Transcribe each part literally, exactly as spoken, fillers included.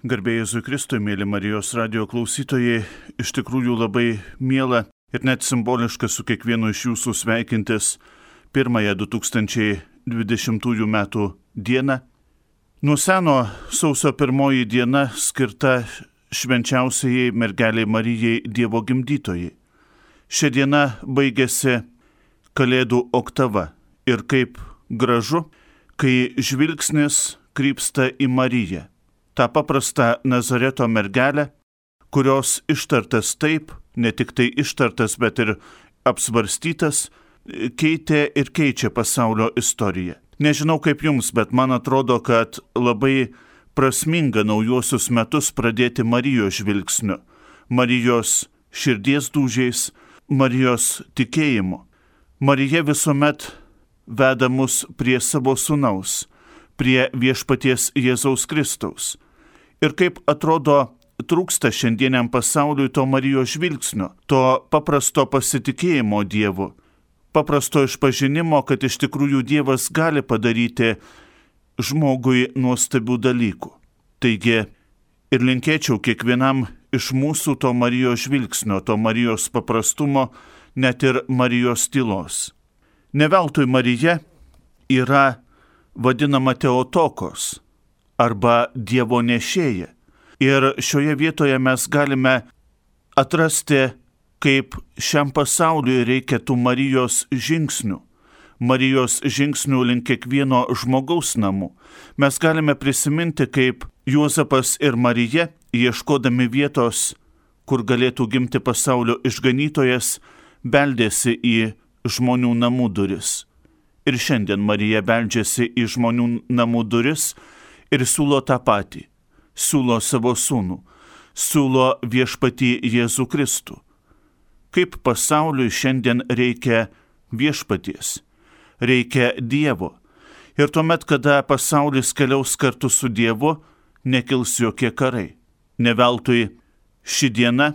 Garbė Jėzui Kristui, mėly Marijos radijo klausytojai, iš tikrųjų labai miela ir net simboliška su kiekvienu iš jūsų sveikintis pirmąją du tūkstančiai dvidešimtųjų metų dieną. Nuo seno sausio pirmoji diena skirta švenčiausiai mergelei Marijai Dievo gimdytojai. Šią dieną baigėsi Kalėdų oktava ir kaip gražu, kai žvilgsnis krypsta į Mariją. Ta paprasta Nazareto mergelę, kurios ištartas taip, ne tik tai ištartas, bet ir apsvarstytas, keitė ir keičia pasaulio istoriją. Nežinau kaip jums, bet man atrodo, kad labai prasminga naujuosius metus pradėti Marijos žvilgsniu, Marijos širdies dūžiais, Marijos tikėjimu. Marija visuomet veda mus prie savo sūnaus, prie viešpaties Jėzaus Kristaus. Ir kaip atrodo, trūksta šiandieniam pasauliui to Marijos žvilgsnio, to paprasto pasitikėjimo Dievu, paprasto išpažinimo, kad iš tikrųjų Dievas gali padaryti žmogui nuostabių dalykų. Taigi ir linkėčiau kiekvienam iš mūsų to Marijos žvilgsnio, to Marijos paprastumo, net ir Marijos tylos. Ne veltui Marija yra vadinama Teotokos arba Dievo nešėja. Ir šioje vietoje mes galime atrasti, kaip šiam pasauliui reikia tų Marijos žingsnių. Marijos žingsnių link kiekvieno žmogaus namų. Mes galime prisiminti, kaip Juozapas ir Marija, ieškodami vietos, kur galėtų gimti pasaulio išganytojas, beldėsi į žmonių namų duris. Ir šiandien Marija beldžiasi į žmonių namų duris ir siūlo tą patį. Siūlo savo sūnų. Siūlo viešpatį Jėzų Kristų. Kaip pasauliui šiandien reikia viešpaties. Reikia Dievo. Ir tuomet, kada pasaulis keliaus kartu su Dievu, nekils jokie karai. Ne veltui ši diena,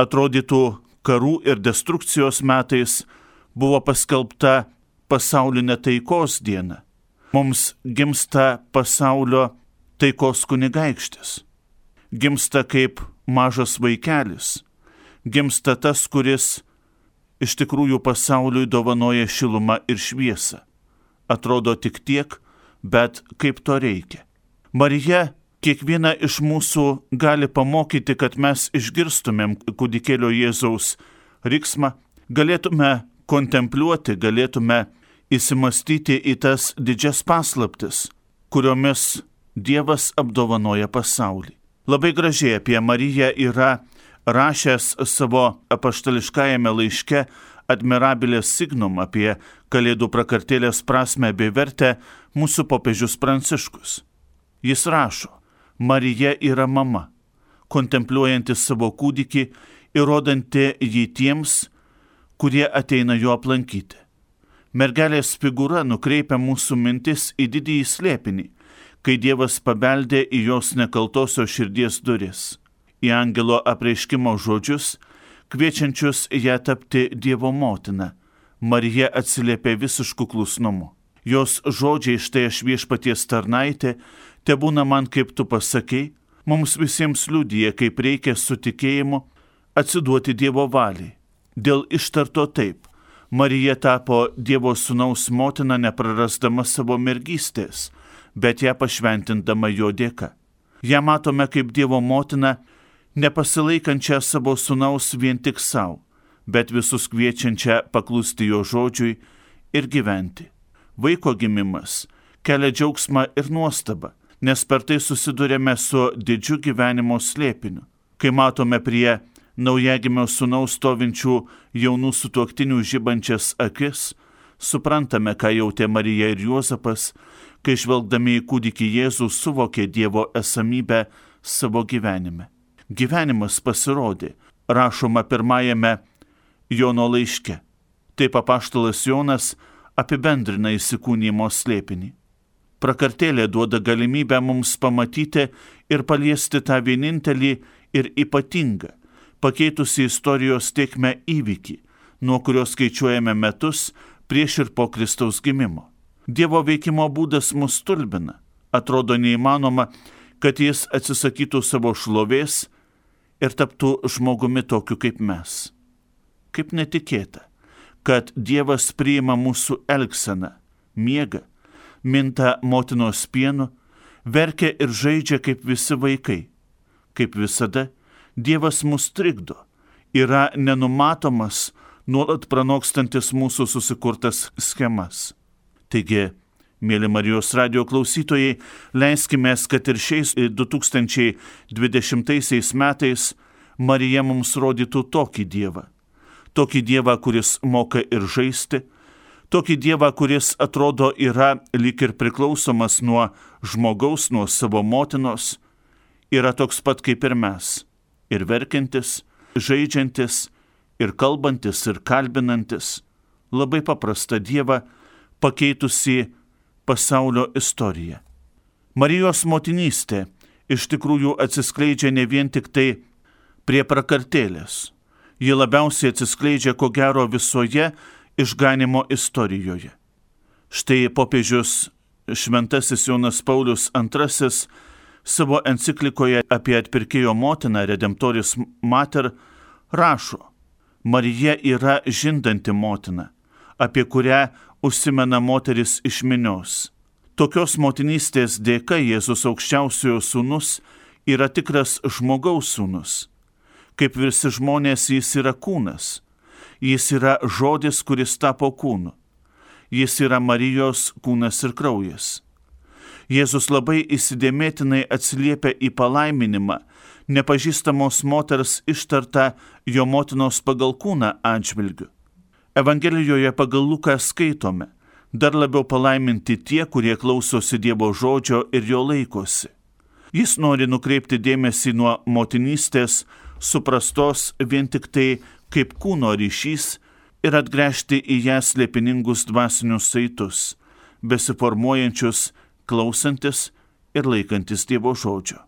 atrodytų karų ir destrukcijos metais, buvo paskelbta pasaulinė taikos diena. Mums gimsta pasaulio taikos kunigaikštis. Gimsta kaip mažas vaikelis. Gimsta tas, kuris iš tikrųjų pasauliui dovanoja šilumą ir šviesą. Atrodo tik tiek, bet kaip to reikia. Marija kiekvieną iš mūsų gali pamokyti, kad mes išgirstumėm kūdikėlio Jėzaus riksmą, galėtume kontempliuoti, galėtume įsimastyti į tas didžias paslaptis, kuriomis Dievas apdovanoja pasaulį. Labai gražiai apie Mariją yra rašęs savo apaštališkajame laiške Admirabiles Signum apie Kalėdų prakartėlės prasmę bei vertę mūsų popiežius Pranciškus. Jis rašo: Marija yra mama, kontempliuojanti savo kūdikį ir rodanti jį tiems, kurie ateina jo aplankyti. Mergelės figūra nukreipia mūsų mintis į didįjį slėpinį, kai Dievas pabeldė į jos nekaltosios širdies duris, į angelo apreiškimo žodžius, kviečiančius ją tapti Dievo motina. Marija atsiliepė visišku klusnumu. Jos žodžiai: štai aš viešpaties tarnaitė, tebūna man kaip tu pasakei, mums visiems liudija, kaip reikia su tikėjimu atsiduoti Dievo valiai. Dėl ištarto taip, Marija tapo Dievo sūnaus motina, neprarasdama savo mergystės, bet ją pašventindama jo dėka. Ja matome kaip Dievo motina, nepasilaikančią savo sūnaus vien tik savo, bet visus kviečiančią paklusti jo žodžiui ir gyventi. Vaiko gimimas kelia džiaugsmą ir nuostabą, nes per tai susidurėme su didžiu gyvenimo slėpiniu. Kai matome prie naujagimio sūnaus stovinčių jaunų sutuoktinių žibančias akis, suprantame, ką jautė Marija ir Juozapas, kai žvelgdami į kūdikį Jėzų suvokė Dievo esamybę savo gyvenime. Gyvenimas pasirodė, rašoma pirmajame Jono laiške. Taip apaštalas Jonas apibendrina įsikūnijimo slėpinį. Prakartėlė duoda galimybę mums pamatyti ir paliesti tą vienintelį ir ypatingą, pakeitusi istorijos tėkmę įvykį, nuo kurio skaičiuojame metus prieš ir po Kristaus gimimo. Dievo veikimo būdas mus stulbina. Atrodo neįmanoma, kad jis atsisakytų savo šlovės ir taptų žmogumi tokiu kaip mes. Kaip netikėta, kad Dievas priima mūsų elgseną, miega, minta motinos pienu, verkia ir žaidžia kaip visi vaikai. Kaip visada, Dievas mus trikdo, yra nenumatomas, nuolat pranokstantis mūsų susikurtas schemas. Taigi, mėly Marijos radijo klausytojai, leiskime, kad ir šiais du tūkstančiai dvidešimtaisiais metais Marija mums rodytų tokį Dievą. Tokį Dievą, kuris moka ir žaisti, tokį Dievą, kuris atrodo yra lyg ir priklausomas nuo žmogaus, nuo savo motinos, yra toks pat kaip ir mes, ir verkiantis, žaidžiantis, ir kalbantis, ir kalbinantis, labai paprastą Dievą, pakeitusi pasaulio istoriją. Marijos motinystė iš tikrųjų atsiskleidžia ne vien tik tai prie prakartėlės. Ji labiausiai atsiskleidžia ko gero visoje išganimo istorijoje. Štai popiežius Šventasis Jonas Paulius antrasis savo enciklikoje apie atpirkėjo motiną Redemptoris Mater rašo: Marija yra žindanti motina, apie kurią užsimena moteris iš minios. Tokios motinystės dėka Jėzus aukščiausiojo sūnus yra tikras žmogaus sūnus. Kaip visi žmonės, jis yra kūnas. Jis yra žodis, kuris tapo kūnu. Jis yra Marijos kūnas ir kraujas. Jėzus labai įsidėmėtinai atsiliepia į palaiminimą, nepažįstamos moters ištartą jo motinos pagal kūną atžvilgiu. Evangelijoje pagal Luką skaitome: dar labiau palaiminti tie, kurie klausosi Dievo žodžio ir jo laikosi. Jis nori nukreipti dėmesį nuo motinystės, suprastos vien tik tai kaip kūno ryšys, ir atgręžti į ją slėpiningus dvasinius saitus, besiformuojančius klausantis ir laikantis Dievo žodžio.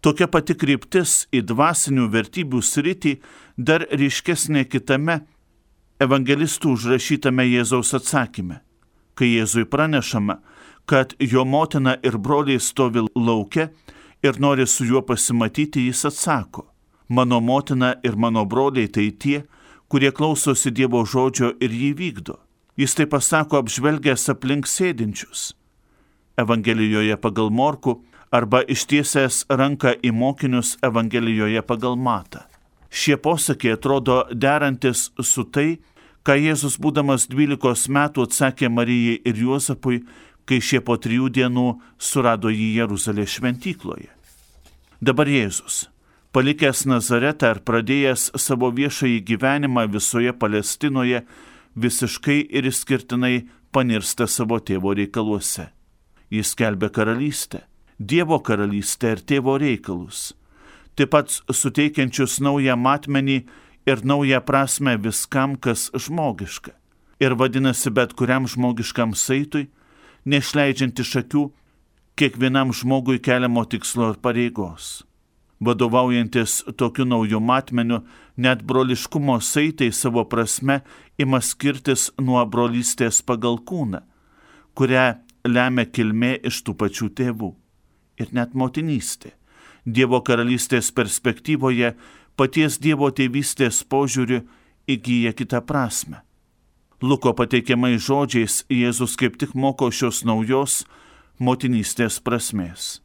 Tokia pati kryptis į dvasinių vertybių sritį dar ryškesnė kitame evangelistų užrašytame Jėzaus atsakyme. Kai Jėzui pranešama, kad jo motina ir broliai stovi lauke ir nori su juo pasimatyti, jis atsako: mano motina ir mano broliai tai tie, kurie klausosi Dievo žodžio ir jį vykdo. Jis tai pasako apžvelgęs aplink sėdinčius. Evangelijoje pagal Morkų arba ištiesęs ranką į mokinius Evangelijoje pagal Matą. Šie posakiai atrodo derantis su tai, ką Jėzus būdamas dvylikos metų atsakė Marijai ir Juozapui, kai šie po trijų dienų surado jį Jeruzalės šventykloje. Dabar Jėzus, palikęs Nazaretą ir pradėjęs savo viešąjį gyvenimą visoje Palestinoje, visiškai ir išskirtinai panirsta savo tėvo reikaluose. Jis skelbia karalystę, Dievo karalystę ir tėvo reikalus, taip pat suteikiančius naują matmenį ir naują prasme viskam, kas žmogiška, ir vadinasi bet kuriam žmogiškam saitui, neišleidžiant iš akių kiekvienam žmogui keliamo tikslo ir pareigos. Vadovaujantis tokiu nauju matmeniu, net broliškumo saitai savo prasme ima skirtis nuo brolystės pagal kūną, kurią lemia kilmė iš tų pačių tėvų. Ir net motinystė. Dievo karalystės perspektyvoje paties Dievo tėvystės požiūriu įgyja kitą prasme. Luko pateikiamais žodžiais Jėzus kaip tik moko šios naujos motinystės prasmės.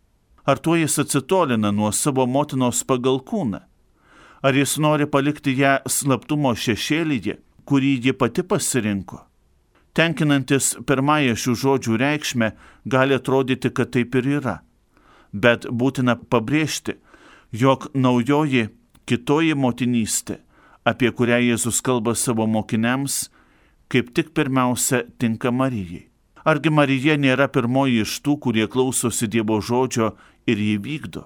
Ar tuo jis atsitolina nuo savo motinos pagal kūną? Ar jis nori palikti ją slaptumo šešėlyje, kurį ji pati pasirinko? Tenkinantis pirmąją šių žodžių reikšmę, gali atrodyti, kad taip ir yra. Bet būtina pabrėžti, jog naujoji, kitoji motinystė, apie kurią Jėzus kalba savo mokiniams, kaip tik pirmiausia tinka Marijai. Argi Marija nėra pirmoji iš tų, kurie klausosi Dievo žodžio ir jį vykdo?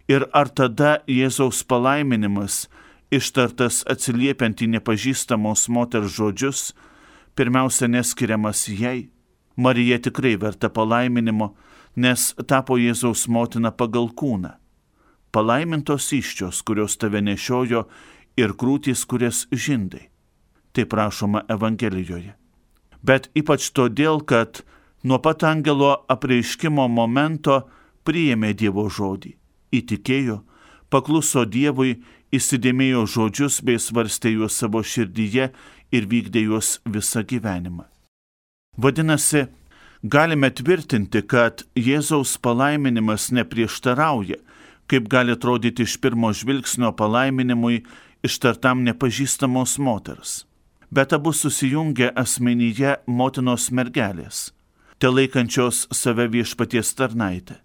Ir ar tada Jėzaus palaiminimas, ištartas atsiliepiant į nepažįstamos moters žodžius, pirmiausia neskiriamas jai? Marija tikrai verta palaiminimo, nes tapo Jėzaus motina pagal kūną. Palaimintos įsčios, kurios tave nešiojo, ir krūtys, kurias žindai. Taip rašoma Evangelijoje. Bet ypač todėl, kad nuo pat angelo apreiškimo momento priėmė Dievo žodį, įtikėjo, pakluso Dievui, įsidėmėjo žodžius bei svarstė juos savo širdyje ir vykdė juos visą gyvenimą. Vadinasi, galime tvirtinti, kad Jėzaus palaiminimas neprieštarauja, kaip gali atrodyti iš pirmo žvilgsnio palaiminimui ištartam nepažįstamos moters. Bet abu susijungia asmenyje motinos mergelės, te laikančios save viešpaties tarnaitę.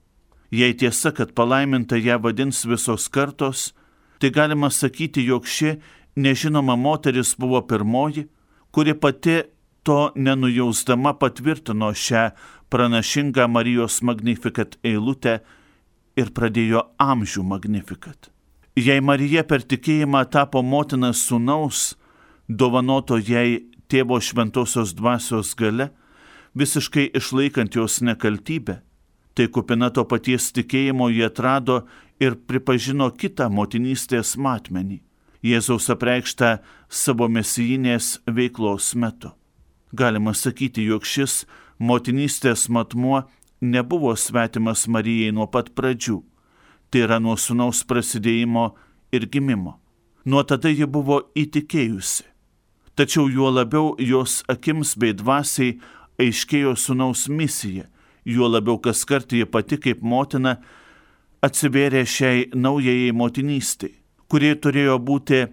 Jei tiesa, kad palaiminta ją vadins visos kartos, tai galima sakyti, jog ši nežinoma moteris buvo pirmoji, kuri pati to nenujausdama patvirtino šią pranašingą Marijos Magnificat eilutę ir pradėjo amžių Magnificat. Jei Marija per tikėjimą tapo motina sūnaus, dovanoto jai tėvo šventosios dvasios gale, visiškai išlaikant jos nekaltybę, tai kupina to paties tikėjimo jie atrado ir pripažino kitą motinystės matmenį, Jėzaus apreikštą savo mesijinės veiklos metu. Galima sakyti, jog šis motinystės matmuo nebuvo svetimas Marijai nuo pat pradžių, tai yra nuo sūnaus prasidėjimo ir gimimo. Nuo tada ji buvo įtikėjusi. Tačiau juo labiau jos akims bei dvasiai aiškėjo sūnaus misija, juo labiau kaskart ji pati kaip motina atsivėrė šiai naujajai motinystei, kuri turėjo būti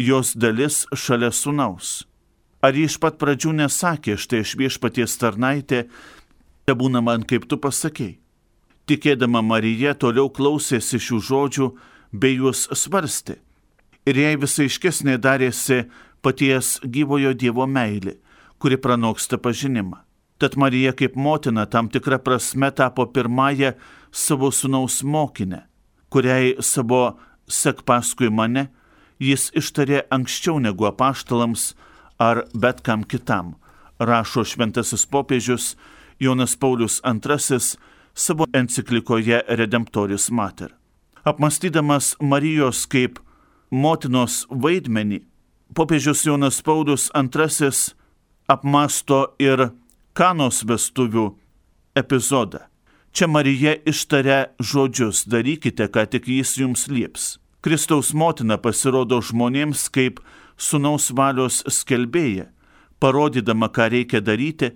jos dalis šalia sūnaus. Ar ji iš pat pradžių nesakė, štai aš viešpaties tarnaitė, tebūna man kaip tu pasakei. Tikėdama Marija toliau klausėsi šių žodžių bei juos svarstė. Ir jai visai aiškesnė darėsi paties gyvojo Dievo meilė, kuri pranoksta pažinimą. Tad Marija kaip motina tam tikra prasme tapo pirmąją savo sūnaus mokinę, kuriai savo sek paskui mane jis ištarė anksčiau negu apaštalams ar bet kam kitam, rašo šventasis popiežius Jonas Paulius antrasis savo enciklikoje Redemptoris Mater. Apmąstydamas Marijos kaip motinos vaidmenį, popiežius Jonas Paulius antrasis apmąsto ir Kanos vestuvių epizodą. Čia Marija ištaria žodžius, darykite, ką tik jis jums lieps. Kristaus motina pasirodo žmonėms kaip sūnaus valios skelbėja, parodydama, ką reikia daryti,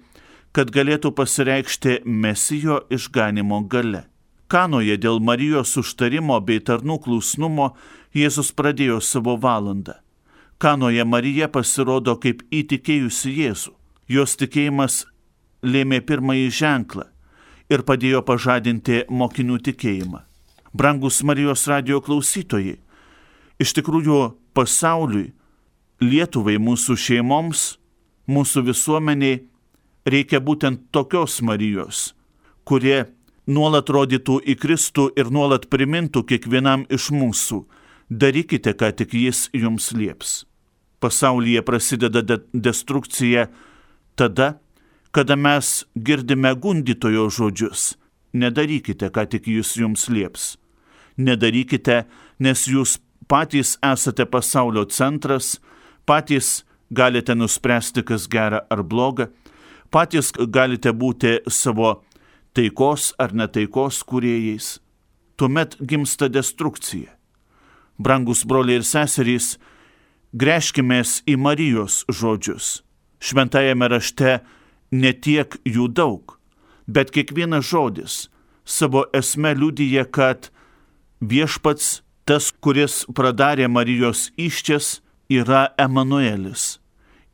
kad galėtų pasireikšti Mesijo išganimo gale. Kanoje dėl Marijos užtarimo bei tarnų klusnumo Jėzus pradėjo savo valandą. Kanoje Marija pasirodo kaip įtikėjusi Jėzų. Jos tikėjimas lėmė pirmąjį ženklą ir padėjo pažadinti mokinių tikėjimą. Brangus Marijos radijo klausytojai, iš tikrųjų pasauliui, Lietuvai, mūsų šeimoms, mūsų visuomeniai reikia būtent tokios Marijos, kurie nuolat rodytų į Kristų ir nuolat primintų kiekvienam iš mūsų, darykite, ką tik jis jums lieps. Pasaulyje prasideda de- destrukcija tada, kada mes girdime gundytojo žodžius. Nedarykite, ką tik jis jums lieps. Nedarykite, nes jūs patys esate pasaulio centras, patys galite nuspręsti, kas gera ar bloga, patys galite būti savo taikos ar netaikos kūrėjais. Tuomet gimsta destrukcija. Brangus broliai ir seserys, gręžkimės į Marijos žodžius. Šventajame rašte ne tiek jų daug, bet kiekvienas žodis savo esme liudija, kad viešpats, tas, kuris pradarė Marijos įsčias, yra Emanuelis,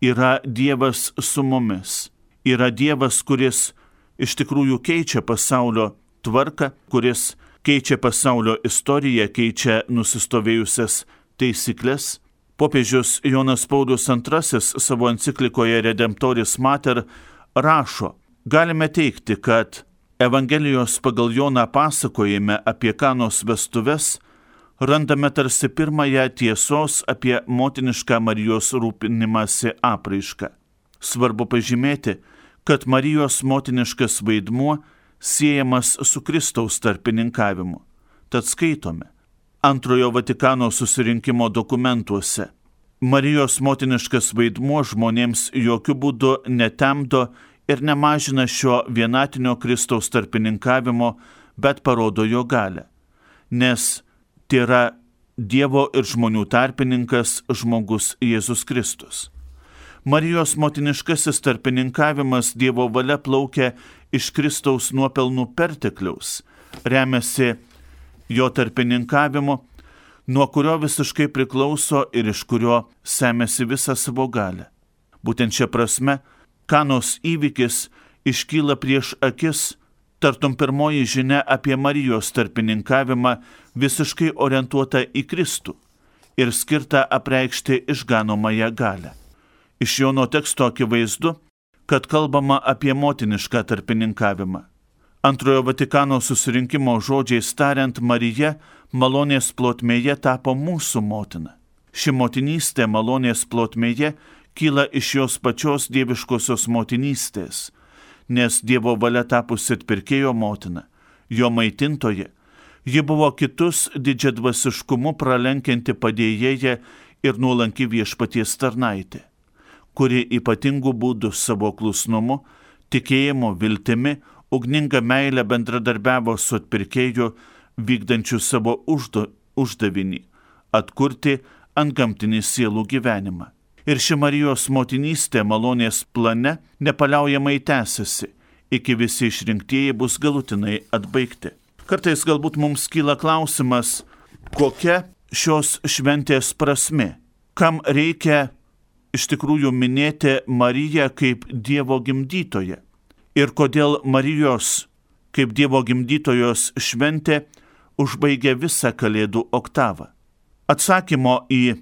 yra Dievas su mumis, yra Dievas, kuris iš tikrųjų keičia pasaulio tvarką, kuris keičia pasaulio istoriją, keičia nusistovėjusias taisyklės. Popiežius Jonas Paulius antrasis savo enciklikoje Redemptoris Mater rašo, galime teikti, kad Evangelijos pagal Joną pasakojime apie Kanos vestuves randame tarsi pirmąją tiesos apie motinišką Marijos rūpinimąsi apraišką. Svarbu pažymėti, kad Marijos motiniškas vaidmuo siejamas su Kristaus tarpininkavimu. Tad skaitome Antrojo Vatikano susirinkimo dokumentuose. Marijos motiniškas vaidmuo žmonėms jokių būdų netemdo ir nemažina šio vienatinio Kristaus tarpininkavimo, bet parodo jo galę, nes tai yra Dievo ir žmonių tarpininkas žmogus Jėzus Kristus. Marijos motiniškasis tarpininkavimas Dievo valia plaukia iš Kristaus nuopelnų pertekliaus, remiasi jo tarpininkavimu, nuo kurio visiškai priklauso ir iš kurio semiasi visą savo galę. Būtent šia prasme, Kanos įvykis iškyla prieš akis, tartum pirmoji žinia apie Marijos tarpininkavimą visiškai orientuota į Kristų ir skirta apreikšti išganomąją galę. Iš Jono teksto akivaizdu, kad kalbama apie motinišką tarpininkavimą. Antrojo Vatikano susirinkimo žodžiais tariant, Marija malonės plotmėje tapo mūsų motina. Ši motinystė malonės plotmėje kyla iš jos pačios dieviškosios motinystės, nes Dievo valia tapusi atpirkėjo motina, jo maitintoje, ji buvo kitus didžiadvasiškumu pralenkianti padėjėja ir nuolanki viešpaties tarnaitė, kuri ypatingų būdų savo klusnumu, tikėjimu, viltimi, ugninga meilė bendradarbiavo su atpirkėju, vykdančiu savo uždo, uždavinį – atkurti antgamtinį sielų gyvenimą. Ir ši Marijos motinystė malonės plane nepaliaujamai tęsiasi, iki visi išrinktieji bus galutinai atbaigti. Kartais galbūt mums kyla klausimas, kokia šios šventės prasmė, kam reikia iš tikrųjų minėti Mariją kaip Dievo gimdytoją ir kodėl Marijos kaip Dievo gimdytojos šventė užbaigia visą Kalėdų oktavą. Atsakymo į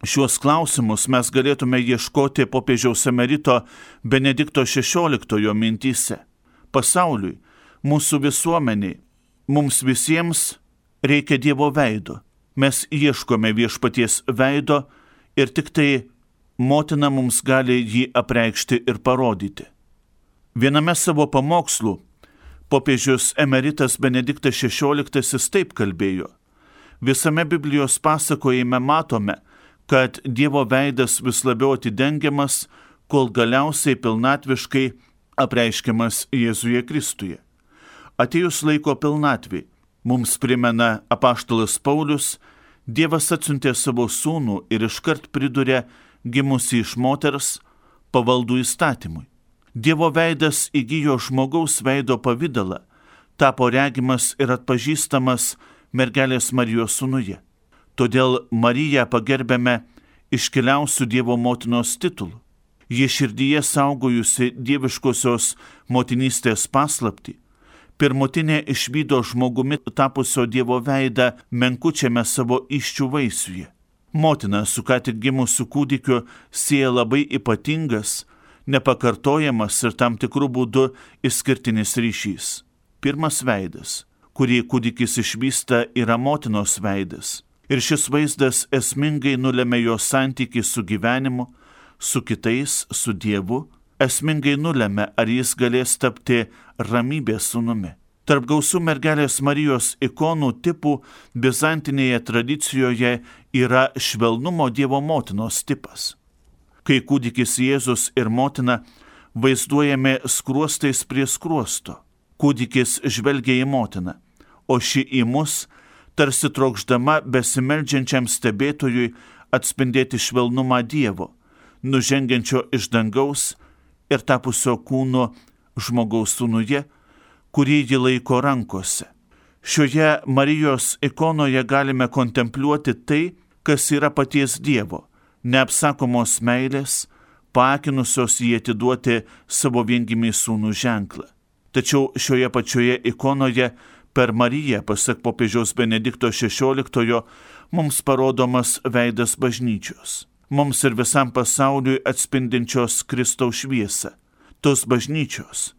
šiuos klausimus mes galėtume ieškoti popiežiaus emerito Benedikto šešioliktojo mintyse. Pasauliui, mūsų visuomeniai, mums visiems reikia Dievo veido. Mes ieškome viešpaties veido ir tik tai motina mums gali jį apreikšti ir parodyti. Viename savo pamokslų popiežius emeritas Benediktas šešioliktasis taip kalbėjo. Visame Biblijos pasakojime matome, kad Dievo veidas vis labiau atidengiamas, kol galiausiai pilnatviškai apreiškiamas Jėzuje Kristuje. Atėjus laiko pilnatvei, mums primena apaštalas Paulius, Dievas atsiuntė savo sūnų ir iškart priduria gimusi iš moters pavaldų įstatymui. Dievo veidas įgijo žmogaus veido pavidalą, tapo regimas ir atpažįstamas mergelės Marijos sūnuje. Todėl Mariją pagerbėme iškiliausių Dievo motinos titulų. Ji širdyje saugojusi dieviškosios motinystės paslaptį, pirmutinė išvydo žmogumi tapusio Dievo veidą menkučiame savo įsčių vaisiuje. Motina su ką tik gimusiu kūdikiu sieja labai ypatingas, nepakartojamas ir tam tikrų būdų išskirtinis ryšys. Pirmas veidas, kurį kūdikis išvysta, yra motinos veidas. Ir šis vaizdas esmingai nulėmė jo santykį su gyvenimu, su kitais, su Dievu, esmingai nulėmė, ar jis galės tapti ramybės sūnumi. Tarp gausų mergelės Marijos ikonų tipų bizantinėje tradicijoje yra švelnumo Dievo motinos tipas. Kai kūdikis Jėzus ir motina vaizduojami skruostais prie skruosto, kūdikis žvelgia į motiną, o ši į mus, tarsi trokšdama besimeldžiančiam stebėtojui atspindėti švelnumą Dievo, nužengiančio iš dangaus ir tapusio kūno žmogaus sūnuje, kurį ji laiko rankose. Šioje Marijos ikonoje galime kontempliuoti tai, kas yra paties Dievo, neapsakomos meilės, paakinusios jį atiduoti savo viengimį sūnų ženklą. Tačiau šioje pačioje ikonoje per Mariją, pasak popiežiaus Benedikto šešioliktojo, mums parodomas veidas bažnyčios, mums ir visam pasauliui atspindinčios Kristaus šviesą, tos bažnyčios,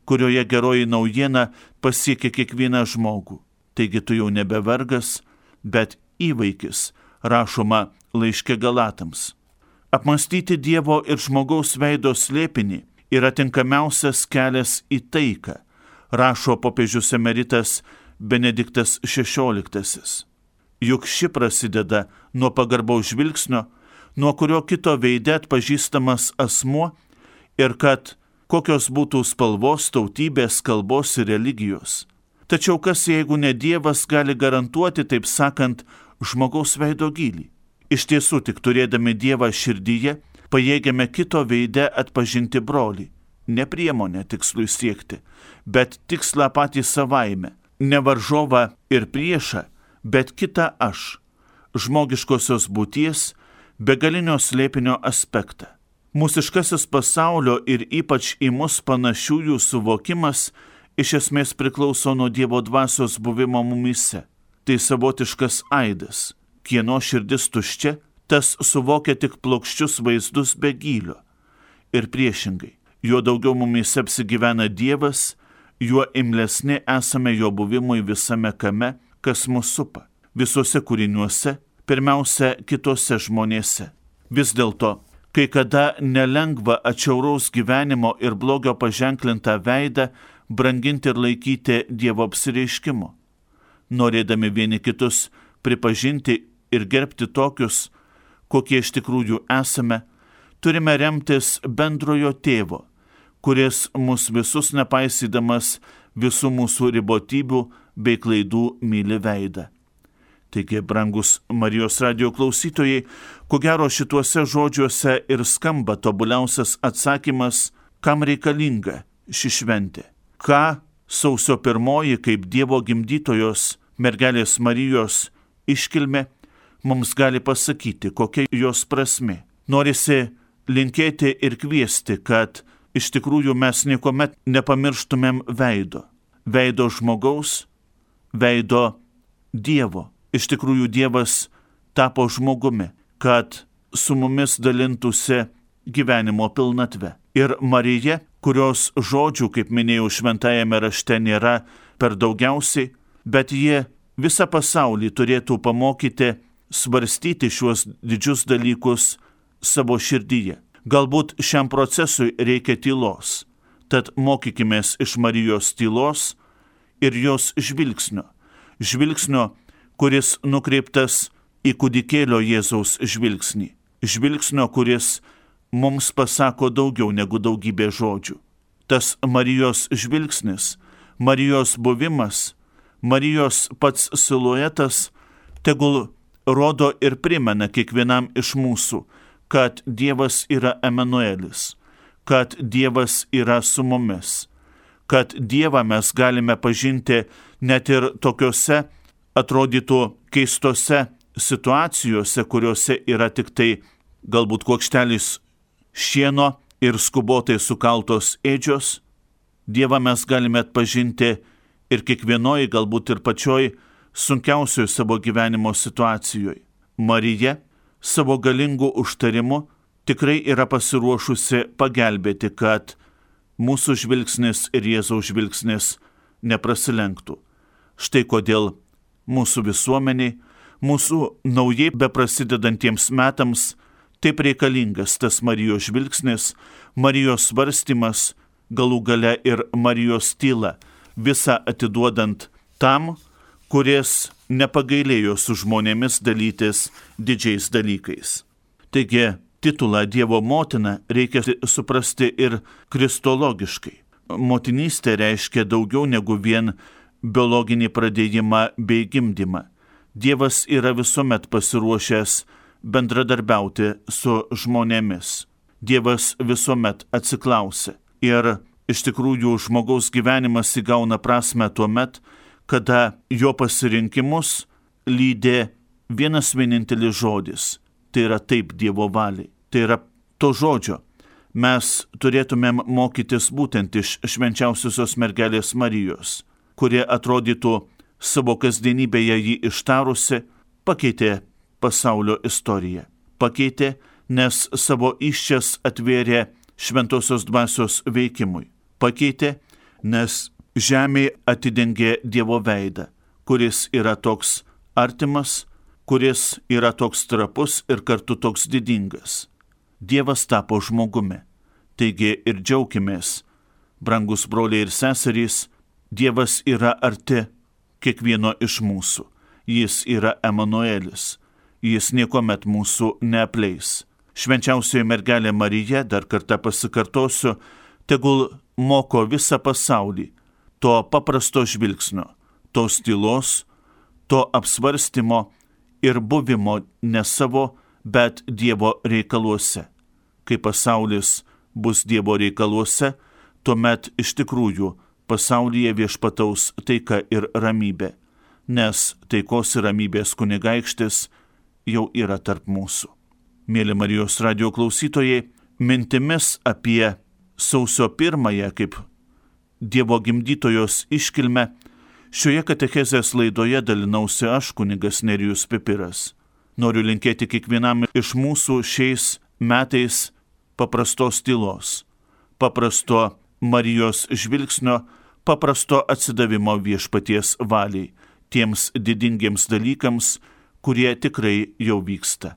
kurioje geroji naujiena pasiekia kiekvieną žmogų. Taigi tu jau nebe vergas, bet įvaikis, rašoma laiške Galatams. Apmąstyti Dievo ir žmogaus veido slėpinį yra tinkamiausias kelias į taiką, rašo popiežius emeritas Benediktas šešioliktasis. Juk ši prasideda nuo pagarbaus žvilgsnio, nuo kurio kito veide atpažįstamas asmuo ir kad kokios būtų spalvos, tautybės, kalbos ir religijos. Tačiau kas, jeigu ne Dievas, gali garantuoti, taip sakant, žmogaus veido gylį? Iš tiesų, tik turėdami Dievą širdyje, pajėgiame kito veide atpažinti brolį. Ne priemonę tikslui siekti, bet tikslą patį savaime. Ne varžovą ir priešą, bet kitą aš. Žmogiškosios būties, begalinio slėpinio aspektą. Mūsiškasis pasaulio ir ypač į mus panašiųjų suvokimas iš esmės priklauso nuo Dievo dvasios buvimo mumyse. Tai savotiškas aidas. Kieno širdis tuščia, tas suvokia tik plokščius vaizdus be gylio. Ir priešingai, juo daugiau mumyse apsigyvena Dievas, juo imlesni esame jo buvimui visame kame, kas mus supa. Visuose kūriniuose, pirmiausia kitose žmonėse. Vis dėlto, kai kada nelengva atšiauraus gyvenimo ir blogio paženklintą veidą branginti ir laikyti Dievo apsireiškimu. Norėdami vieni kitus pripažinti ir gerbti tokius, kokie iš tikrųjų esame, turime remtis bendrojo tėvo, kuris mus visus nepaisydamas visų mūsų ribotybių bei klaidų myli veidą. Taigi, brangus Marijos radijo klausytojai, ko gero šituose žodžiuose ir skamba tobuliausias atsakymas, kam reikalinga ši šventė. Ką sausio pirmoji kaip Dievo gimdytojos mergelės Marijos iškilmė mums gali pasakyti, kokia jos prasmė. Norisi linkėti ir kviesti, kad iš tikrųjų mes niekuomet nepamirštumėm veido. Veido žmogaus, veido Dievo. Iš tikrųjų Dievas tapo žmogumi, kad su mumis dalintųsi gyvenimo pilnatve. Ir Marija, kurios žodžių, kaip minėjau, šventajame rašte nėra per daugiausiai, bet jie visą pasaulį turėtų pamokyti svarstyti šiuos didžius dalykus savo širdyje. Galbūt šiam procesui reikia tylos, tad mokykimės iš Marijos tylos ir jos žvilgsnio. Žvilgsnio, kuris nukreiptas į kūdikėlio Jėzaus žvilgsnį. Žvilgsnio, kuris mums pasako daugiau negu daugybė žodžių. Tas Marijos žvilgsnis, Marijos buvimas, Marijos pats siluetas tegul rodo ir primena kiekvienam iš mūsų, kad Dievas yra Emanuelis, kad Dievas yra su mumis, kad Dievą mes galime pažinti net ir tokiuose atrodytų keistose situacijose, kuriuose yra tik tai galbūt kuokštelis šieno ir skubotai sukaltos ėdžios. Dievą mes galime atpažinti ir kiekvienoj, galbūt ir pačioj sunkiausioj savo gyvenimo situacijoje. Marija savo galingu užtarimu tikrai yra pasiruošusi pagelbėti, kad mūsų žvilgsnis ir Jėzaus žvilgsnis neprasilenktų. Štai kodėl mūsų visuomeniai, mūsų naujai beprasidedantiems metams taip reikalingas tas Marijos žvilgsnis, Marijos svarstymas, galų gale ir Marijos tyla, visą atiduodant tam, kuris nepagailėjo su žmonėmis dalytis didžiais dalykais. Taigi, titulą Dievo motina reikia suprasti ir kristologiškai. Motinystė reiškia daugiau negu vien biologinį pradėjimą bei gimdymą. Dievas yra visuomet pasiruošęs bendradarbiauti su žmonėmis. Dievas visuomet atsiklausia. Ir iš tikrųjų žmogaus gyvenimas įgauna prasme tuomet, kada jo pasirinkimus lydė vienas vienintelis žodis. Tai yra taip Dievo valiai. Tai yra to žodžio. Mes turėtumėm mokytis būtent iš švenčiausiosios mergelės Marijos, kurie atrodytų savo kasdienybėje jį ištarusi, pakeitė pasaulio istoriją. Pakeitė, nes savo įsčias atvėrė šventosios dvasios veikimui. Pakeitė, nes žemė atidengė Dievo veidą, kuris yra toks artimas, kuris yra toks trapus ir kartu toks didingas. Dievas tapo žmogumi. Taigi ir džiaukimės, brangus broliai ir seserys, Dievas yra arti kiekvieno iš mūsų. Jis yra Emanuelis. Jis niekuomet mūsų neapleis. Švenčiausioji mergelė Marija, dar kartą pasikartosiu, tegul moko visą pasaulį to paprasto žvilgsnio, tos tylos, to apsvarstymo ir buvimo ne savo, bet Dievo reikaluose. Kai pasaulis bus Dievo reikaluose, tuomet iš tikrųjų pasaulyje viešpataus taika ir ramybė, nes taikos ir ramybės kunigaikštis jau yra tarp mūsų. Mėly Marijos radijo klausytojai, mintimis apie sausio pirmąją kaip Dievo gimdytojos iškilmę šioje katechezės laidoje dalinausi aš, kunigas Nerijus Pipiras. Noriu linkėti kiekvienam iš mūsų šiais metais paprastos tylos, paprasto Marijos žvilgsnio, paprasto atsidavimo viešpaties valiai, tiems didingiems dalykams, kurie tikrai jau vyksta.